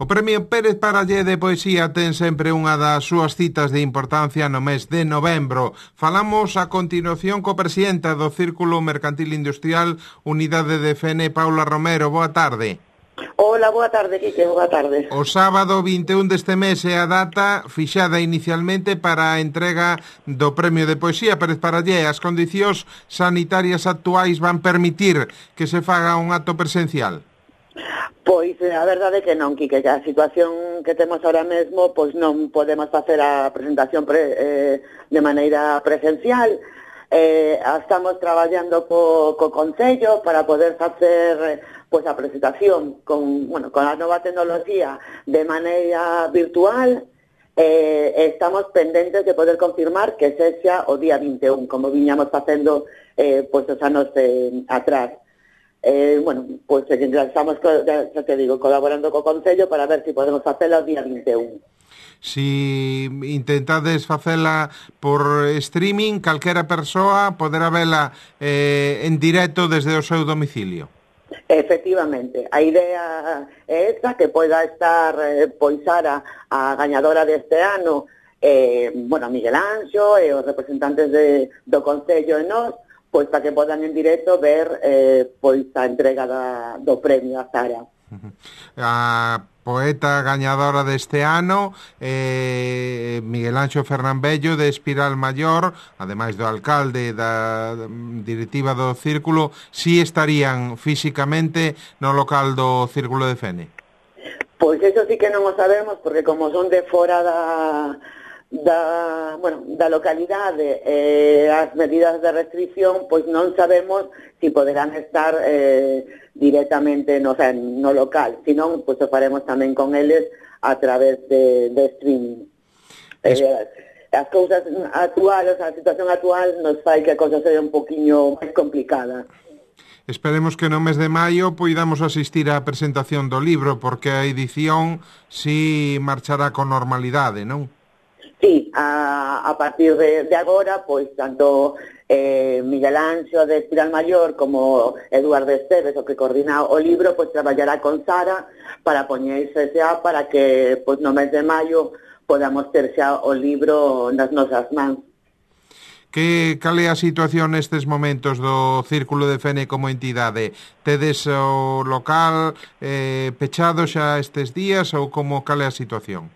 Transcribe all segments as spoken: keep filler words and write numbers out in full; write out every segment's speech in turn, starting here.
O Premio Pérez Parallé de Poesía ten sempre unha das súas citas de importancia no mes de novembro. Falamos a continuación co presidenta do Círculo Mercantil Industrial Unidade de Fene, Paula Romero. Boa tarde. Hola, boa tarde, Quique, boa tarde. O sábado vinte e un deste mes é a data fixada inicialmente para a entrega do Premio de Poesía Pérez Parallé. As condicións sanitarias actuais van permitir que se faga un acto presencial? Pois a verdade é que non, Quique, que a situación que temos ahora mesmo, pois non podemos facer a presentación pre, eh, de maneira presencial. Eh, estamos traballando co, co Concello para poder facer pois a presentación con, bueno, con a nova tecnoloxía de maneira virtual. Eh, estamos pendentes de poder confirmar que sexa o día vinte e un, como viñamos facendo eh, pois os anos eh, atrás. Eh, bueno, pois estamos, xa te digo, colaborando co Concello para ver se si podemos facela o día vinte e un. Si intentades facela por streaming, calquera persoa poderá vela eh, en directo desde o seu domicilio. Efectivamente, a idea é esta, que poida estar eh, poisara a gañadora deste ano, eh, bueno, Miguel Anxo e os representantes de, do Concello e nós, pois para que podan en directo ver eh, pois a entrega da, do premio a Sara. A poeta gañadora deste ano, eh, Miguel Anxo Fernambello, de Espiral Maior, ademais do alcalde da directiva do Círculo, si estarían físicamente no local do Círculo de Fene? Pois eso sí que non o sabemos, porque como son de fora da... da, bueno, da localidade, eh, as medidas de restricción, pois non sabemos si poderán estar eh, directamente no, o sea, no local, senón pois o faremos tamén con eles a través de, de streaming. Es... Eh, as cousas actuales, a situación actual nos fai que a cousa seja un poquinho máis complicada. Esperemos que no mes de maio poidamos asistir á presentación do libro, porque a edición si marchará con normalidade, non? Sí, a, a partir de, de agora, pois, tanto eh, Miguel Anxo de Espiral Maior como Eduardo Esteves, o que coordina o libro, pois traballará con Sara para poñerse xa para que pois, no mes de maio podamos ter xa o libro nas nosas mans. Que cal é a situación nestes momentos do Círculo de Fene como entidade? Tedes o local eh, pechado xa estes días ou como cal é a situación?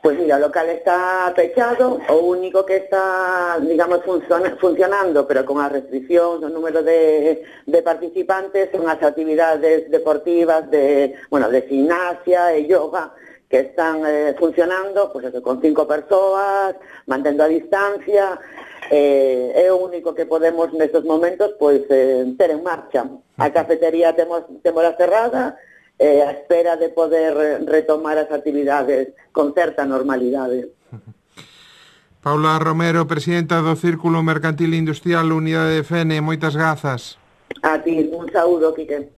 Pois mira, o local está pechado, o único que está, digamos, funciona, funcionando, pero con as restriccións, o número de, de participantes, son as actividades deportivas de, bueno, de gimnasia e yoga, que están eh, funcionando, pois eso, con cinco persoas, mantendo a distancia, eh, é o único que podemos nestes momentos, pois, eh, ter en marcha. A cafetería temos, temos cerrada, Eh, a espera de poder retomar as actividades con certa normalidade. Paula Romero, presidenta do Círculo Mercantil Industrial Unidade de Fene, moitas grazas. A ti, un saúdo, Quique.